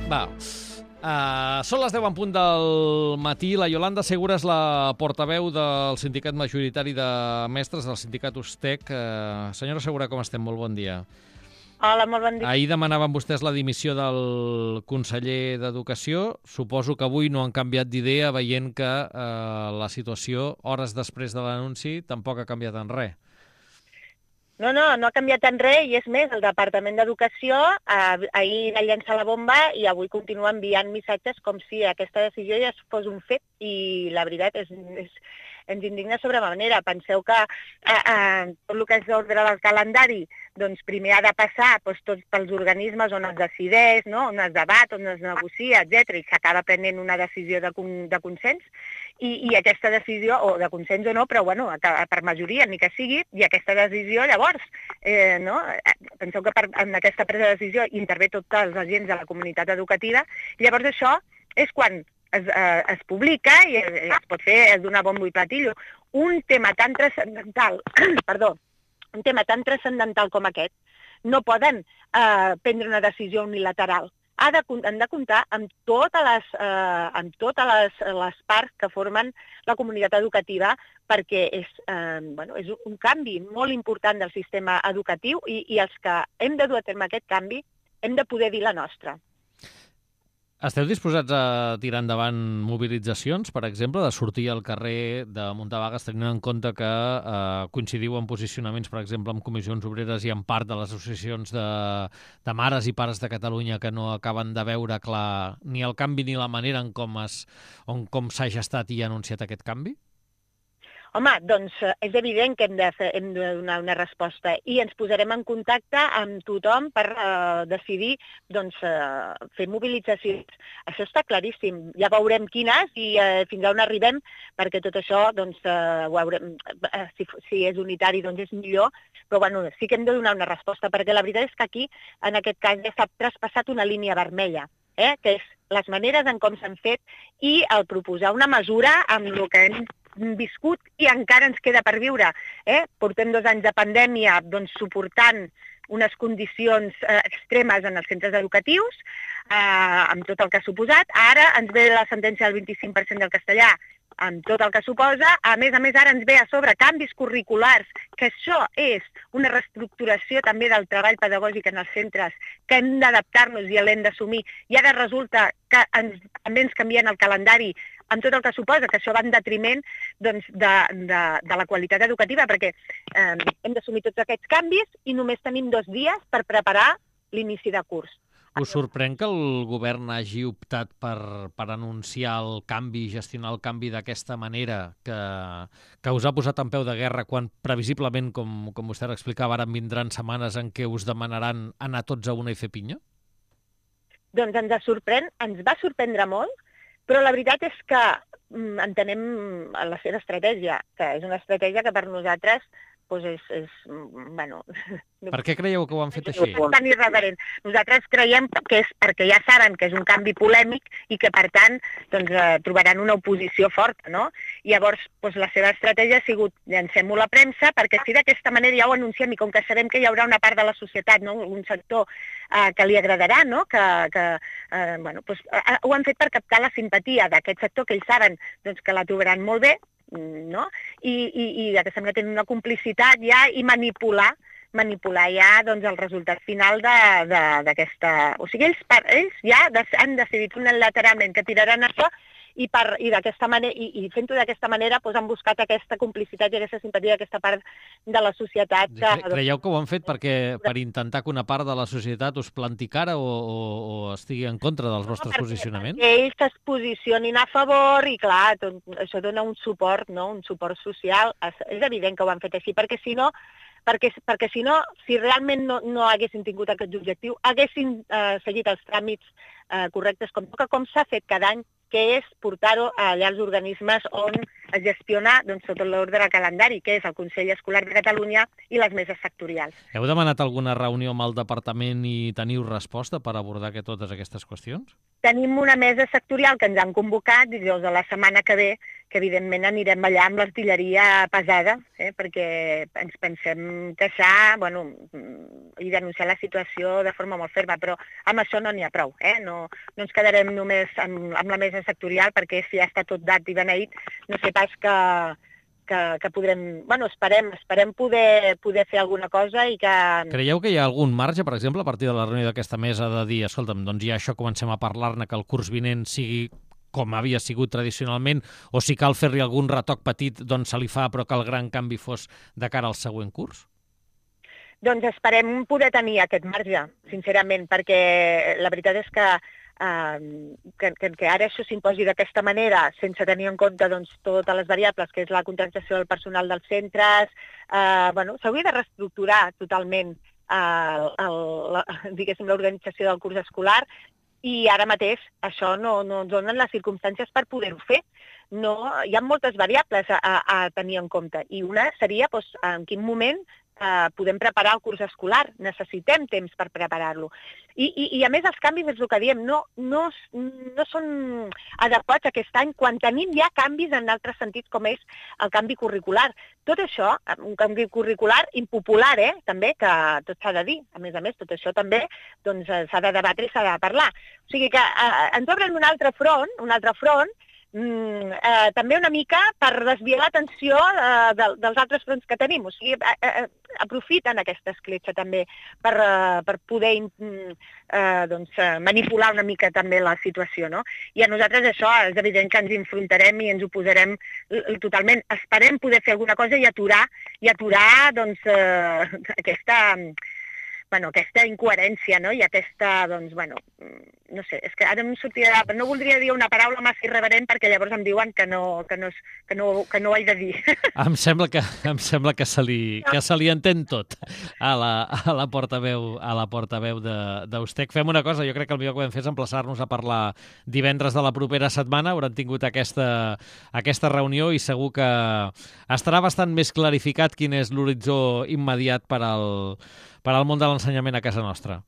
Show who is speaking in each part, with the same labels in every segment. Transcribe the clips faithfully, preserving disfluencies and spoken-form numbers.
Speaker 1: Va, uh, són les deu en punt del matí. La Iolanda Segura és la portaveu del sindicat majoritari de mestres, del sindicat Ustec. Uh, senyora Segura, com estem? Molt bon dia.
Speaker 2: Hola, molt bon dia.
Speaker 1: Ahir demanaven vostès la dimissió del conseller d'Educació. Suposo que avui no han canviat d'idea, veient que uh, la situació, hores després de l'anunci, tampoc ha canviat en res.
Speaker 2: No, no, no ha canviat en res, i és més, el Departament d'Educació eh, ahir va llançar la bomba i avui continua enviant missatges com si aquesta decisió ja fos un fet, i la veritat és, és, ens indigna sobremanera. Penseu que eh, eh, tot el que és l'ordre del calendari doncs primer ha de passar doncs, tots pels organismes on es decideix, no? On es debat, on es negocia, etcètera, i s'acaba prenent una decisió de, con de consens, i, i aquesta decisió, o de consens o no, però bueno, per majoria, ni que sigui, i aquesta decisió llavors, eh, no? Penseu que per, en aquesta presa de decisió intervé tots els agents de la comunitat educativa, i llavors això és quan es, eh, es publica i es, es pot fer donar bombo i platillo. Un tema tan transcendental, perdó, un tema tan transcendental com aquest, no poden eh, prendre una decisió unilateral. Ha de, han de comptar amb totes, les, eh, amb totes les, les parts que formen la comunitat educativa, perquè és, eh, bueno, és un canvi molt important del sistema educatiu, i, i els que hem de dur a terme aquest canvi hem de poder dir la nostra.
Speaker 1: Esteu disposats a tirar endavant mobilitzacions, per exemple, de sortir al carrer, de muntar vagues, tenint en compte que eh, coincidiu en posicionaments, per exemple, amb comissions obreres i en part de les associacions de, de mares i pares de Catalunya que no acaben de veure clar ni el canvi ni la manera en com es, on, com s'ha gestat i anunciat aquest canvi?
Speaker 2: Home, doncs és evident que hem de, fer, hem de donar una resposta, i ens posarem en contacte amb tothom per eh, decidir doncs, eh, fer mobilitzacions. Això està claríssim. Ja veurem quines i eh, fins on arribem, perquè tot això, doncs, eh, ho haurem, eh, si, si és unitari, doncs és millor, però bueno, sí que hem de donar una resposta, perquè la veritat és que aquí, en aquest cas, ja s'ha traspassat una línia vermella, eh, que és les maneres en com s'han fet i el proposar una mesura amb el que hem viscut i encara ens queda per viure. Eh? Portem dos anys de pandèmia doncs, suportant unes condicions eh, extremes en els centres educatius, eh, amb tot el que ha suposat. Ara ens ve la sentència del vint-i-cinc per cent del castellà, amb tot el que suposa. A més a més, ara ens ve a sobre canvis curriculars, que això és una reestructuració també del treball pedagògic en els centres, que hem d'adaptar-nos i l'hem d'assumir. I ara resulta que ens, també ens canvien el calendari, amb tot el que suposa, que això va en detriment doncs, de, de, de la qualitat educativa, perquè eh, hem d'assumir tots aquests canvis i només tenim dos dies per preparar l'inici de curs.
Speaker 1: Us sorprèn que el govern hagi optat per, per anunciar el canvi, gestionar el canvi d'aquesta manera, que, que us ha posat en peu de guerra, quan previsiblement, com, com vostè explicava, ara vindran setmanes en què us demanaran anar tots a una i fer pinya?
Speaker 2: Doncs ens sorprèn, ens va sorprendre molt, però la veritat és que mm, entenem la seva estratègia, que és una estratègia que per nosaltres doncs és, és, bueno...
Speaker 1: Per què creieu que ho han fet així?
Speaker 2: És tan irreverent. Nosaltres creiem que és perquè ja saben que és un canvi polèmic i que, per tant, doncs, eh, trobaran una oposició forta, no? I llavors, doncs, la seva estratègia ha sigut llancem-ho a la premsa, perquè si d'aquesta manera ja ho anunciem, i com que sabem que hi haurà una part de la societat, no? Un sector eh, que li agradarà, no? Que, que, eh, bueno, doncs, eh, ho han fet per captar la simpatia d'aquest sector, que ells saben doncs, que la trobaran molt bé, no? I, i, i que sembla tenir una complicitat ja i manipular manipular ja doncs, el resultat final d'aquesta... O sigui, ells, per, ells ja han decidit unilateralment que tiraran això, i, per, i, manera, i, i fent-ho d'aquesta manera doncs, han buscat aquesta complicitat i aquesta simpatia d'aquesta part de la societat. Que,
Speaker 1: Creieu que ho han fet perquè per intentar que una part de la societat us planti cara o, o, o estigui en contra dels vostres no, posicionaments?
Speaker 2: Perquè ells es posicionin a favor i, clar, tot, això dona un suport, no? Un suport social. És evident que ho han fet així, perquè si no, perquè, perquè si no, si realment no, no haguessin tingut aquest objectiu, haguessin eh, seguit els tràmits eh, correctes com toca, com s'ha fet cada any, que és portar-ho allà als organismes on es gestiona doncs, sota l'ordre calendari, que és el Consell Escolar de Catalunya i les meses sectorials.
Speaker 1: Heu demanat alguna reunió amb el departament i teniu resposta per abordar que totes aquestes qüestions?
Speaker 2: tenim una mesa sectorial que ens han convocat dijous de la setmana que ve, que evidentment anirem allà amb l'artilleria pesada, eh, perquè ens pensem queixar, bueno, i denunciar la situació de forma molt ferma, però amb això no n'hi ha prou, eh? No, no ens quedarem només amb, amb la mesa sectorial, perquè si ja està tot dat i beneït, no sé pas que, que, que podrem... Bueno, esperem, esperem poder, poder fer alguna cosa i que...
Speaker 1: Creieu que hi ha algun marge, per exemple, a partir de la reunió d'aquesta mesa, de dir, escolta'm, doncs ja això comencem a parlar-ne, que el curs vinent sigui com havia sigut tradicionalment, o si cal fer-li algun retoc petit, doncs se li fa, però que el gran canvi fos de cara al següent curs?
Speaker 2: Doncs esperem poder tenir aquest marge, sincerament, perquè la veritat és que Uh, que, que, que ara això s'imposi d'aquesta manera, sense tenir en compte doncs, totes les variables, que és la contractació del personal dels centres, uh, bueno, s'hauria de reestructurar totalment uh, el, la, diguéssim, l'organització del curs escolar, i ara mateix això no, no ens donen les circumstàncies per poder-ho fer. No, hi ha moltes variables a, a, a tenir en compte, i una seria doncs, en quin moment Uh, podem preparar el curs escolar, necessitem temps per preparar-lo. I, i, I a més els canvis, és el que diem, no, no, no són adequats aquest any quan tenim ja canvis en altres sentits com és el canvi curricular. Tot això, un canvi curricular impopular, eh, també, que tot s'ha de dir, a més a més, tot això també doncs, s'ha de debatre i s'ha de parlar. O sigui que uh, ens obren un altre front, un altre front, Mm, eh, també una mica per desviar l'atenció eh, de, dels altres fronts que tenim. O sigui, eh, eh, aprofiten aquesta escletxa també per, eh, per poder mm, eh, doncs, eh, manipular una mica també la situació, no? I a nosaltres això és evident que ens enfrontarem i ens oposarem totalment. Esperem poder fer alguna cosa i aturar, i aturar doncs, eh, aquesta... Bueno, aquesta incoherència, no? I aquesta, doncs, bueno, no sé, és que ara em sortirà... No voldria dir una paraula massa irreverent perquè llavors em diuen que no, que no, que no, que no ho he de dir.
Speaker 1: Em sembla que, em sembla que, se li, que se li entén tot a la, a la portaveu, a la portaveu d'Eustec. Fem una cosa, jo crec que el millor que podem fer és emplaçar-nos a parlar divendres de la propera setmana. Hauran tingut aquesta, aquesta reunió i segur que estarà bastant més clarificat quin és l'horitzó immediat per al per al món de l'ensenyament a casa nostra.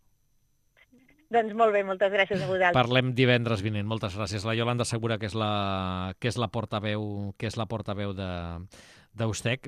Speaker 2: Doncs molt bé, moltes gràcies a vosaltres.
Speaker 1: Parlem divendres vinent. Moltes gràcies. La Iolanda Segura, que és la, que és la portaveu, que és la portaveu de d'Eustec.